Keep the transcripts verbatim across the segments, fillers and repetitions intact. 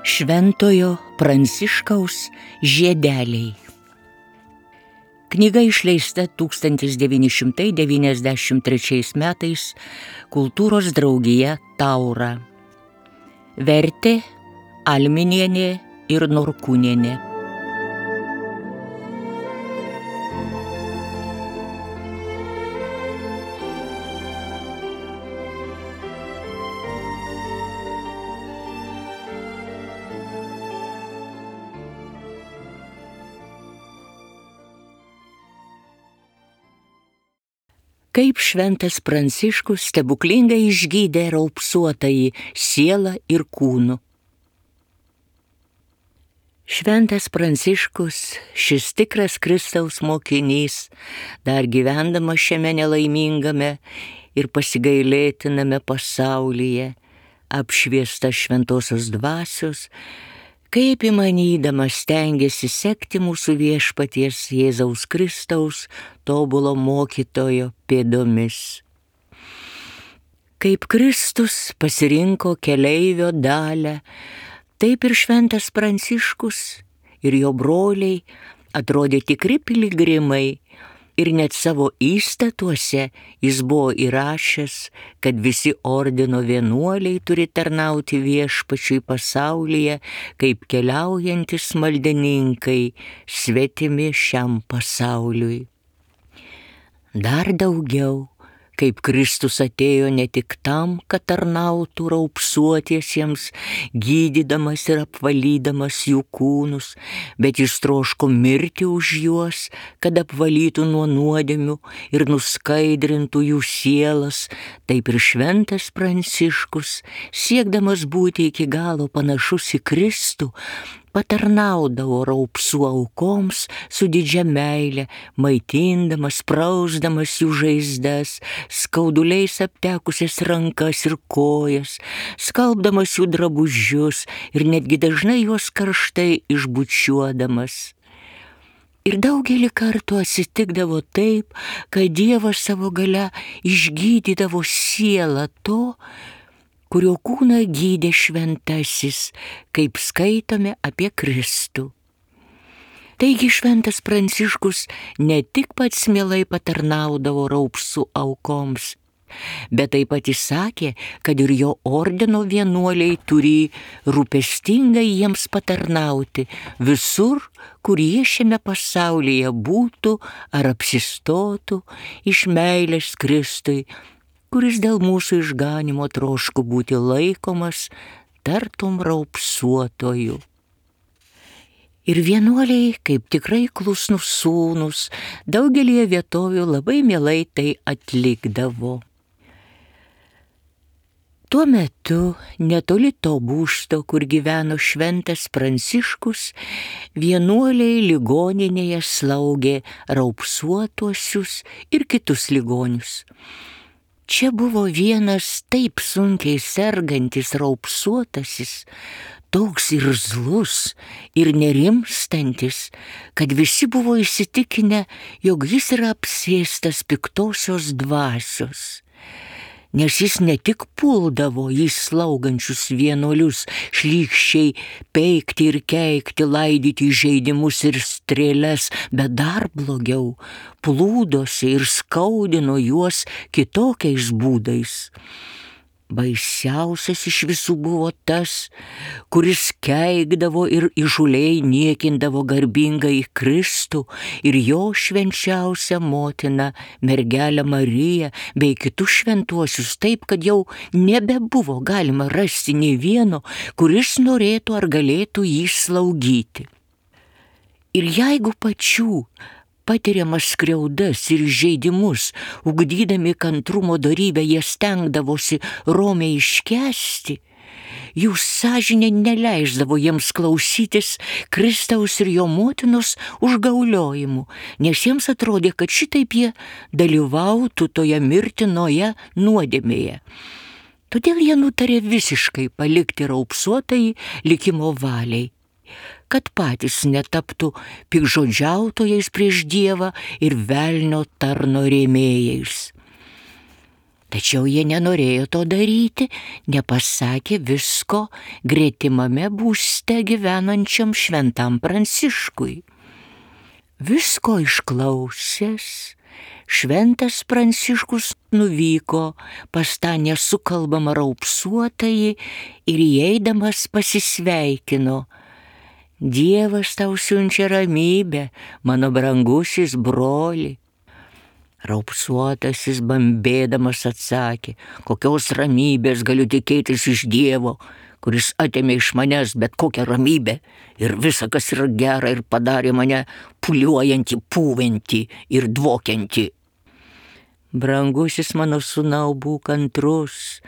Šventojo Pranciškaus žiedeliai. Knyga išleista tūkstantis devyni šimtai devyniasdešimt trečiais metais Kultūros draugija Taura. Vertė Alminienė ir Norkūnienė. Kaip šventas Pranciškus stebuklingai išgydė raupsuotąjį sielą ir kūnu. Šventas Pranciškus, šis tikras Kristaus mokinys, dar gyvendamas šiame nelaimingame ir pasigailėtiname pasaulyje, apšviestas šventosios dvasios, kaip įmanydamas stengiasi sekti mūsų viešpaties Jėzaus Kristaus tobulo mokytojo pėdomis. Kaip Kristus pasirinko keleivio dalią, taip ir šventas Pranciškus ir jo broliai atrodė tikri piligrimai, ir net savo įstatuose jis buvo įrašęs, kad visi ordino vienuoliai turi tarnauti viešpačiui pasaulyje, kaip keliaujantis maldininkai, svetimi šiam pasauliui. Dar daugiau, kaip Kristus atėjo ne tik tam, kad tarnautų raupsuotiesiems, gydydamas ir apvalydamas jų kūnus, bet jis troško mirti už juos, kad apvalytų nuo nuodėmių ir nuskaidrintų jų sielas, taip ir šventas Pranciškus, siekdamas būti iki galo panašus į Kristų, patarnaudavo raupsų aukoms su didžia meile, maitindamas, prausdamas jų žaizdas, skauduliais aptekusias rankas ir kojas, skalbdamas jų drabužius ir netgi dažnai juos karštai išbučiuodamas. Ir daugelį kartų atsitikdavo taip, kad Dievas savo galia išgydydavo sielą to, kurio kūną gydė šventasis, kaip skaitome apie Kristų. Taigi šventas Pranciškus ne tik pats mielai patarnaudavo raupsų aukoms, bet taip pat įsakė, kad ir jo ordino vienuoliai turi rūpestingai jiems patarnauti visur, kur jie šiame pasaulyje būtų ar apsistotų iš meilės Kristui, kuris dėl mūsų išganymo troško būti laikomas tartum raupsuotoju. Ir vienuoliai, kaip tikrai klusnūs sūnūs, daugelį vietovių labai mielai tai atlikdavo. Tuo metu, netoli to būsto, kur gyveno šventas Pranciškus, vienuoliai ligoninėje slaugė raupsuotuosius ir kitus ligonius. Čia buvo vienas taip sunkiai sergantis raupsuotasis, toks irzlus ir nerimstantis, kad visi buvo įsitikinę, jog jis yra apsėstas piktosios dvasios. Nes jis ne tik puldavo jį slaugančius vienuolius šlykščiai peikti ir keikti, laidyti žaidimus ir strėles, bet dar blogiau, plūdosi ir skaudino juos kitokiais būdais. Baisiausias iš visų buvo tas, kuris keikdavo ir įžūliai niekindavo garbingąjį Kristų ir jo švenčiausią motiną, mergelę Mariją, bei kitus šventuosius, taip, kad jau nebebuvo galima rasti nei vieno, kuris norėtų ar galėtų jį slaugyti. Ir jeigu pačių patiriamas skriaudas ir žeidimus, ugdydami kantrumo dorybę, jie stengdavosi romiai iškęsti, jų sąžinė neleisdavo jiems klausytis Kristaus ir jo motinos užgauliojimų, nes jiems atrodė, kad šitaip jie dalyvautų toje mirtinoje nuodėmėje. Todėl jie nutarė visiškai palikti raupsuotąjį likimo valiai, kad patys netaptų piktžodžiautojais prieš Dievą ir velnio tarno rėmėjais. Tačiau jie nenorėjo to daryti, nepasakė visko gretimame būste gyvenančiam šventam Pranciškui. Visko išklausęs, šventas Pranciškus nuvyko pas tą nesukalbamą raupsuotąjį ir įeidamas pasisveikino. Dievas tau siunčia ramybę, mano brangusis broli. Raupsuotasis bambėdamas atsakė, kokios ramybės galiu tikėtis iš Dievo, kuris atėmė iš manęs bet kokią ramybę ir visa, kas yra gera, ir padarė mane puliuojantį, pūventį ir dvokiantį. Brangusis mano sūnau, būk kantrus,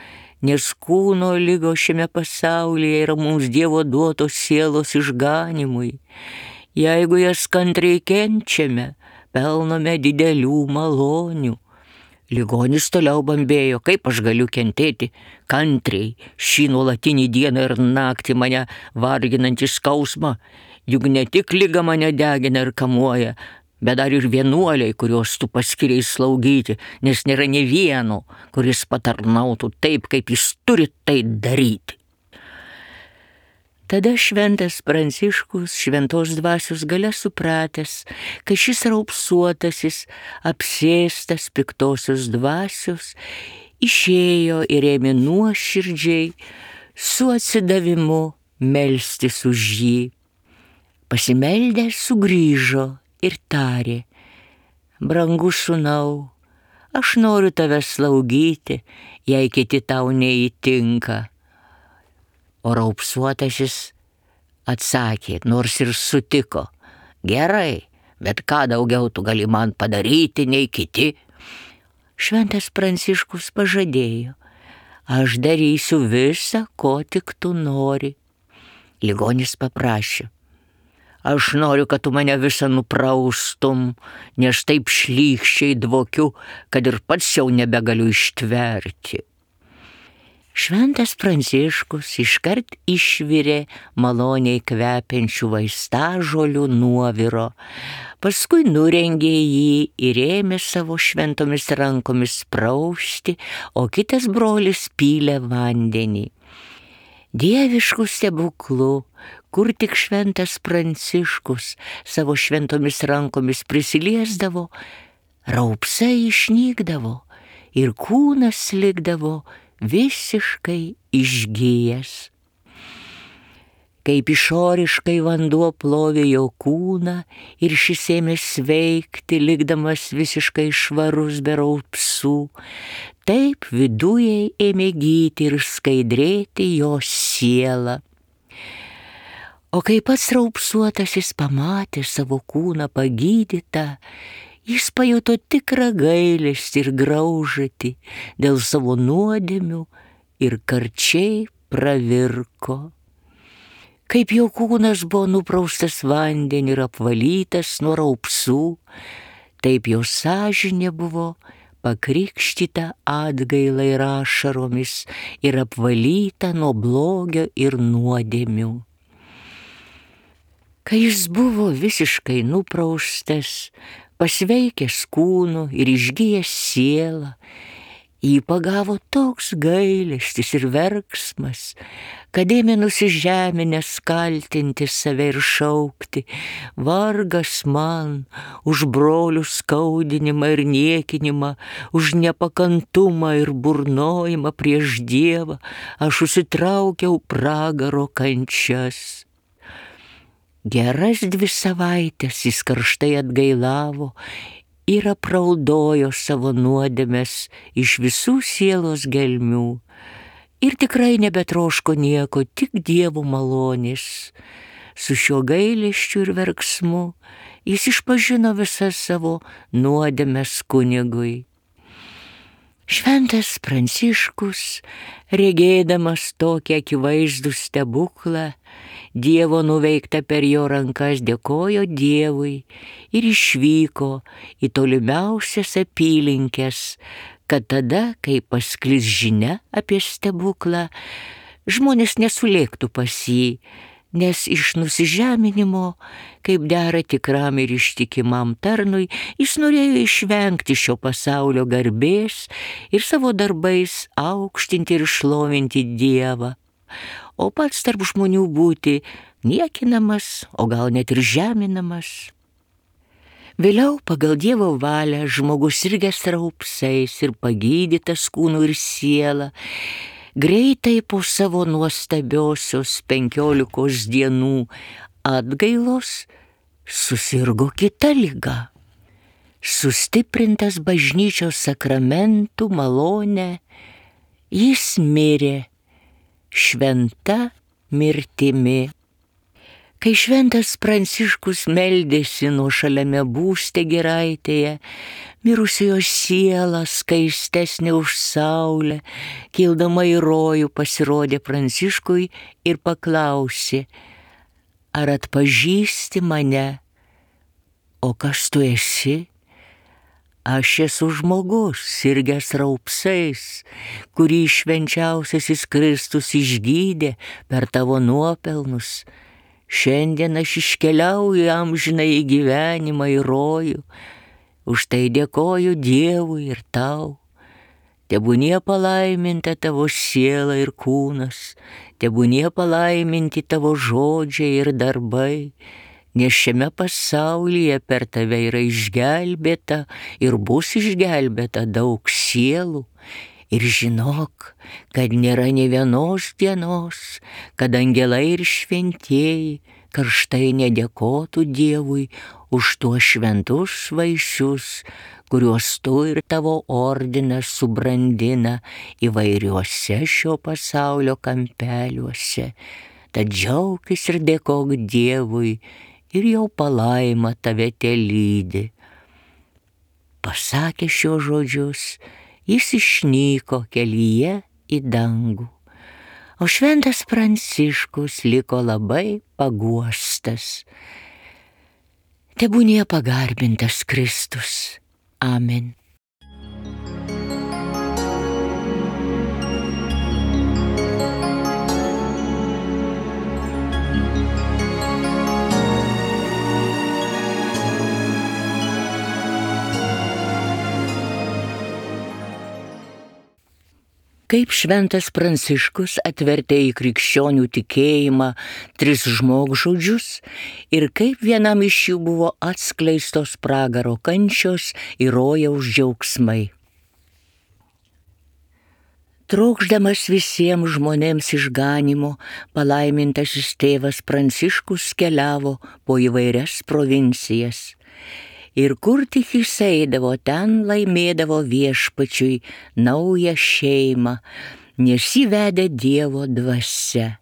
nes kūno ligos šiame pasaulyje yra mums Dievo duotos sielos išganimui. Jeigu jas kantriai kenčiame, pelnome didelių malonių. Ligonis toliau bambėjo, kaip aš galiu kentėti kantriai šį nuolatinį dieną ir naktį mane varginantį skausmą, juk ne tik liga mane degina ir kamuoja, bet dar ir vienuoliai, kuriuos tu paskiriai slaugyti, nes nėra nė vieno, kuris patarnautų taip, kaip jis turi tai daryti. Tada šventas Pranciškus šventos dvasios galia supratęs, kad šis raupsuotasis, apsėstas piktosios dvasios, išėjo ir ėmė nuoširdžiai su atsidavimu melstis už jį. Pasimeldęs sugrįžo ir tarė, brangus sūnau, aš noriu tave slaugyti, jei kiti tau neįtinka. O raupsuotasis atsakė, nors ir sutiko, gerai, bet ką daugiau tu gali man padaryti nei kiti? Šventas Pranciškus pažadėjo, aš darysiu visą, ko tik tu nori. Ligonis paprašė, aš noriu, kad tu mane visą nupraustum, nes taip šlykščiai dvokiu, kad ir pats jau nebegaliu ištverti. Šventas Pranciškus iškart išvirė maloniai kvepiančių vaistažolių nuoviro, paskui nurengė jį ir ėmė savo šventomis rankomis prausti, o kitas brolis pylė vandenį. Dieviškų stebuklų, kur tik šventas Pranciškus savo šventomis rankomis prisiliesdavo, raupsai išnykdavo ir kūnas likdavo visiškai išgijęs. Kaip išoriškai vanduo plovė jo kūną ir šis ėmė sveikti, likdamas visiškai švarus be raupsų, taip viduje ėmė gyti ir skaidrėti jo siela. O kai pats raupsuotasis pamatė savo kūną pagydytą, jis pajuto tikrą gailestį ir graužatį dėl savo nuodėmių ir karčiai pravirko. Kaip jo kūnas buvo nupraustas vandeniu ir apvalytas nuo raupsų, taip jo sąžinė buvo pakrikštyta atgaila ir ašaromis ir apvalyta nuo blogio ir nuodėmių. Kai jis buvo visiškai nupraustas, pasveikęs kūnu ir išgijęs sielą, jį pagavo toks gailestis ir verksmas, kad ėmė nusižeminęs kaltinti save ir šaukti, vargas man už brolių skaudinimą ir niekinimą, už nepakantumą ir burnojimą prieš Dievą, aš užsitraukiau pragaro kančias. Geras dvi savaitės jis karštai atgailavo ir apraudojo savo nuodėmes iš visų sielos gelmių ir tikrai nebetroško nieko, tik Dievo malonės. Su šiuo gailesčiu ir verksmu jis išpažino visas savo nuodėmes kunigui. Šventas Pranciškus, regėdamas tokį akivaizdų stebuklą, Dievo nuveikta per jo rankas, dėkojo Dievui ir išvyko į tolimiausias apylinkes, kad tada, kai pasklis žinia apie stebuklą, žmonės nesulėktų pas jį, nes iš nusižeminimo, kaip dera tikram ir ištikimam tarnui, jis norėjo išvengti šio pasaulio garbės ir savo darbais aukštinti ir šlovinti Dievą, o pats tarp žmonių būti niekinamas, o gal net ir žeminamas. Vėliau pagal Dievo valią žmogus sirgęs raupsais ir pagydytas kūnu ir siela, greitai po savo nuostabiosios penkiolikos dienų atgailos susirgo kita liga. Sustiprintas bažnyčios sakramentų malone, jis mirė šventa mirtimi. Kai šventas Pranciškus meldėsi nuošaliame būste giraitėje, mirusiojo siela skaistesnė už saulę, kildama į rojų pasirodė Pranciškui ir paklausė: ar atpažįsti mane? O kas tu esi? Aš esu žmogus, sirgęs raupsais, kurį švenčiausiasis Kristus išgydė per tavo nuopelnus. Šiandien aš iškeliauju amžinąjį gyvenimą į rojų, už tai dėkoju Dievui ir tau. Tebūnie palaiminta tavo siela ir kūnas, tebūnie palaiminti tavo žodžiai ir darbai, nes šiame pasaulyje per tave yra išgelbėta ir bus išgelbėta daug sielų. Ir žinok, kad nėra nė vienos dienos, kad angelai ir šventieji karštai nedėkotų Dievui už tuos šventus vaisius, kuriuos tu ir tavo ordinas subrandina įvairiuose šio pasaulio kampeliuose. Tad džiaukis ir dėkok Dievui, ir jau palaima tave telydi. Pasakė šios žodžius, jis išnyko kelyje į dangų, o šventas Pranciškus liko labai paguostas. Tebūnie pagarbintas Kristus. Amen. Kaip šventas Pranciškus atvertė į krikščionių tikėjimą tris žmogžudžius ir kaip vienam iš jų buvo atskleistos pragaro kančios ir rojaus džiaugsmai. Trokšdamas visiems žmonėms išganimo, palaimintasis tėvas Pranciškus keliavo po įvairias provincijas. Ir kur tik jis eidavo, ten laimėdavo viešpačiui naują šeimą, nes jį vedė Dievo dvasia.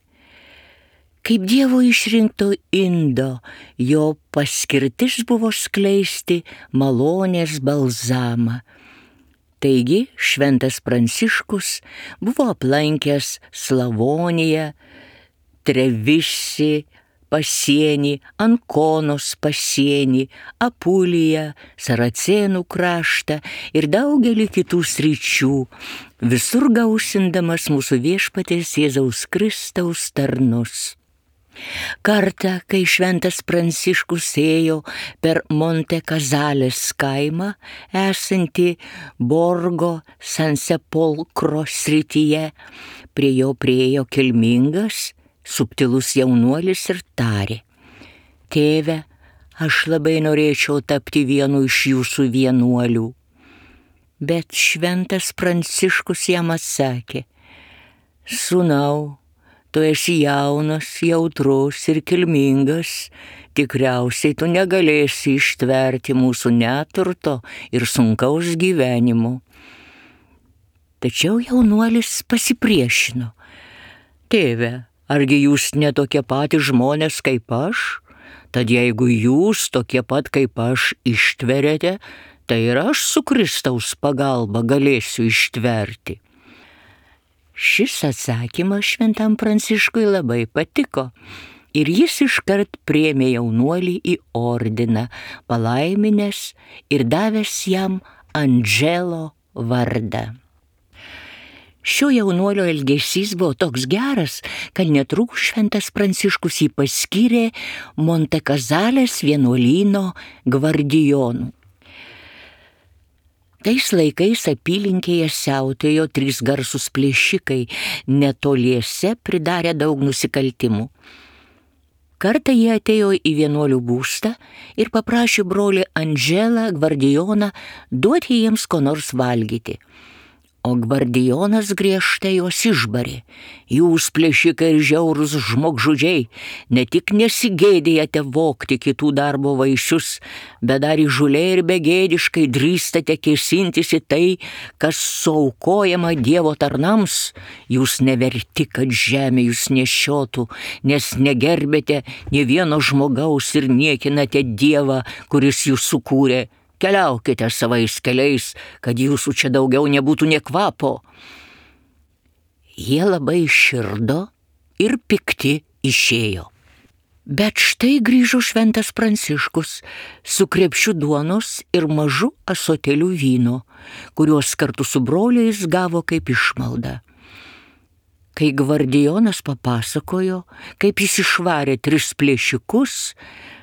Kaip Dievo išrinkto indo, jo paskirtis buvo skleisti malonės balzamą. Taigi šventas Pranciškus buvo aplankęs Slavoniją, Trevisį pasienį, Ankonos pasienį, Apuliją, Saracėnų kraštą ir daugelį kitų sričių, visur gausindamas mūsų viešpaties Jėzaus Kristaus tarnus. Kartą, kai šventas Pranciškus ėjo per Monte Kazalės kaimą, esantį Borgo San Sepolcro srityje, prie jo priėjo kilmingas, subtilus jaunuolis ir tarė: tėve, aš labai norėčiau tapti vienu iš jūsų vienuolių. Bet šventas Pranciškus jam atsakė: sūnau, tu esi jaunas, jautrus ir kilmingas, tikriausiai tu negalėsi ištverti mūsų neturto ir sunkaus gyvenimo. Tačiau jaunuolis pasipriešino: tėve, argi jūs ne tokie patys žmonės kaip aš? Tad jeigu jūs tokie pat kaip aš ištveriate, tai ir aš su Kristaus pagalba galėsiu ištverti. Šis atsakymas šventam Pranciškui labai patiko ir jis iškart priėmė jaunuolį į ordiną, palaiminęs ir davęs jam Andželo vardą. Šio jaunuolio elgesys buvo toks geras, kad netrukus šventas Pranciškus jį paskyrė Montekazalės vienuolyno gvardijonu. Tais laikais apylinkėje siautėjo trys garsūs plėšikai, netoliese pridarė daug nusikaltimų. Kartą jie atėjo į vienuolių būstą ir paprašė brolį Andželą gvardijoną duoti jiems ko nors valgyti. O gvardijonas griežtai juos išbarė. Jūs, plėšikai ir žiaurūs žmogžudžiai, ne tik nesigėdėjate vogti kitų darbo vaisius, bet dar įžūliai ir begėdiškai drįstate kėsintis į tai, kas suaukojama Dievo tarnams. Jūs neverti, kad žemė jūs nešiotų, nes negerbėte nė vieno žmogaus ir niekinate Dievą, kuris jūs sukūrė. Keliaukite savais keliais, kad jūsų čia daugiau nebūtų nė kvapo. Jie labai širdo ir pikti išėjo. Bet štai grįžo šventas Pranciškus su krepšiu duonos ir mažu ąsotėliu vyno, kuriuos kartu su broliais gavo kaip išmaldą. Kai gvardijonas papasakojo, kaip jis išvarė tris plėšikus,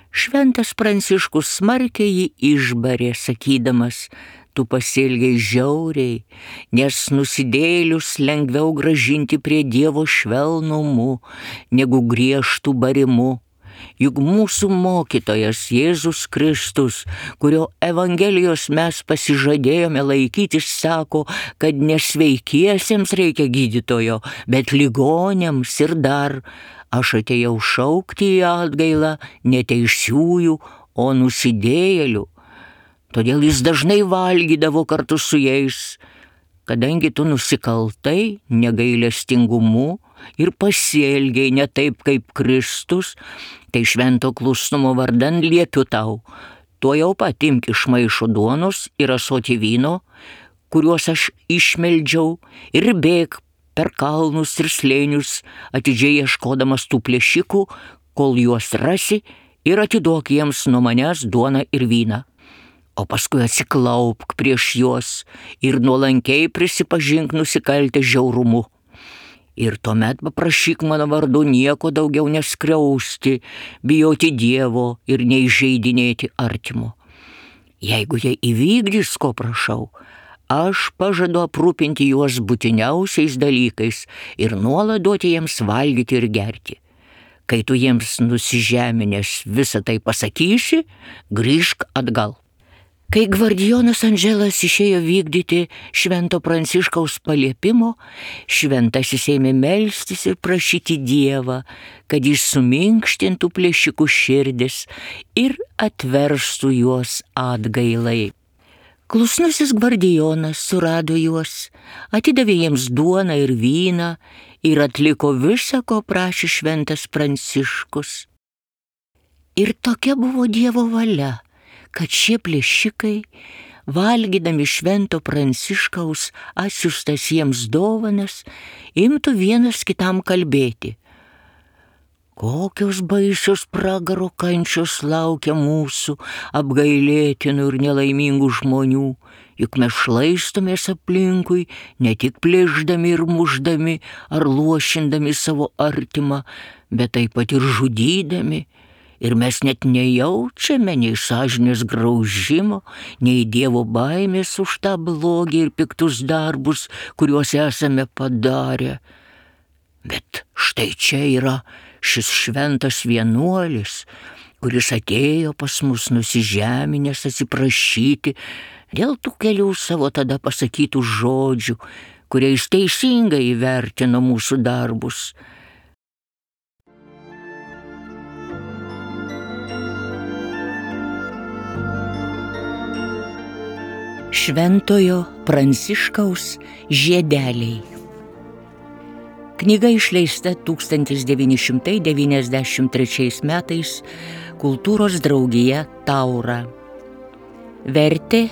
šventas Pranciškus smarkiai jį išbarė, sakydamas, tu pasielgei žiauriai, nes nusidėjėlius lengviau grąžinti prie Dievo švelnumu, negu griežtų barimu. Juk mūsų mokytojas Jėzus Kristus, kurio Evangelijos mes pasižadėjome laikytis, sako, kad nesveikiesiems reikia gydytojo, bet ligoniams ir dar. Aš atėjau šaukti į atgailą ne teisiųjų, o nusidėjėlių. Todėl jis dažnai valgydavo kartu su jais, kadangi tu nusikaltai negailestingumu ir pasielgiai ne taip kaip Kristus, tai švento klusnumo vardan liepiu tau, tuojau pat imk iš maišo duonos ir ąsotį vyno, kuriuos aš išmeldžiau, ir bėk per kalnus ir slėnius, atidžiai ieškodamas tų plėšikų, kol juos rasi, ir atiduok jiems nuo manęs duoną ir vyną. O paskui atsiklaupk prieš juos ir nuolankiai prisipažink nusikaltę žiaurumu. Ir tuomet paprašyk mano vardu nieko daugiau neskriausti, bijoti Dievo ir neįžeidinėti artimo. Jeigu jie įvykdys, ko prašau, aš pažadu aprūpinti juos būtiniausiais dalykais ir nuolat duoti jiems valgyti ir gerti. Kai tu jiems nusižeminęs visą tai pasakysi, grįžk atgal. Kai gvardijonas Andželas išėjo vykdyti švento Pranciškaus paliepimo, šventasis ėmė melstis ir prašyti Dievą, kad jis suminkštintų plėšikų širdis ir atverstų juos atgailai. Klusnusis gvardijonas surado juos, atidavė jiems duoną ir vyną ir atliko visą, ko prašė šventas Pranciškus. Ir tokia buvo Dievo valia, kad šie plėšikai, valgydami švento Pranciškaus atsiųstas jiems dovanas, imtų vienas kitam kalbėti. Kokios baisios pragaro kančios laukia mūsų apgailėtinų ir nelaimingų žmonių, juk mes šlaistomės aplinkui, ne tik plėšdami ir mušdami ar luošindami savo artimą, bet taip pat ir žudydami. Ir mes net nejaučiame nei sąžinės graužimo, nei Dievo baimės už tą blogį ir piktus darbus, kuriuos esame padarę. Bet štai čia yra šis šventas vienuolis, kuris atėjo pas mus nusižeminęs atsiprašyti dėl tų kelių savo tada pasakytų žodžių, kuriais teisingai įvertino mūsų darbus. Šventojo Pranciškaus žiedeliai. Knyga išleista tūkstantis devyni šimtai devyniasdešimt trečiais metais Kultūros draugija Taura. Vertė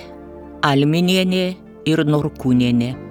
Alminienė ir Norkūnienė.